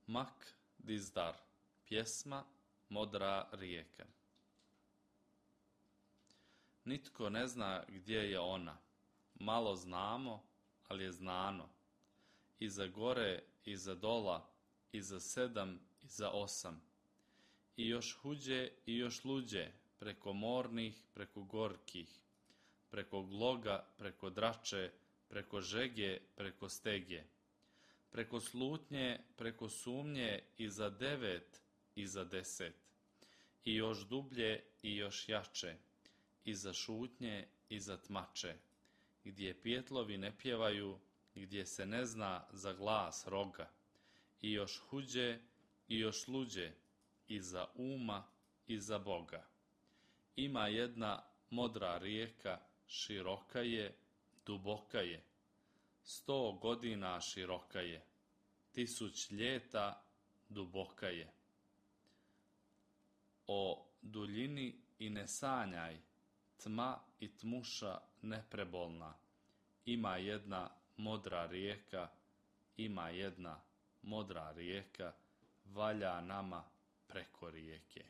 Mak Dizdar, pjesma Modra rijeka. Nitko ne zna gdje je ona, malo znamo, ali je znano. Iza gore, iza dola, iza 7, iza 8. I još huđe i još luđe, preko mornih, preko gorkih, preko gloga, preko drače, preko žege, preko stege, preko slutnje, preko sumnje, iza 9, iza 10. I još dublje i još jače, iza šutnje, iza tmače, gdje pijetlovi ne pjevaju, gdje se ne zna za glas roga, i još huđe i još luđe, iza uma, iza Boga. Ima jedna modra rijeka, široka je, duboka je, 100 godina široka je, 1000 ljeta duboka je. O duljini i ne sanjaj, tma i tmuša neprebolna, ima jedna modra rijeka, ima jedna modra rijeka, valja nama preko rijeke.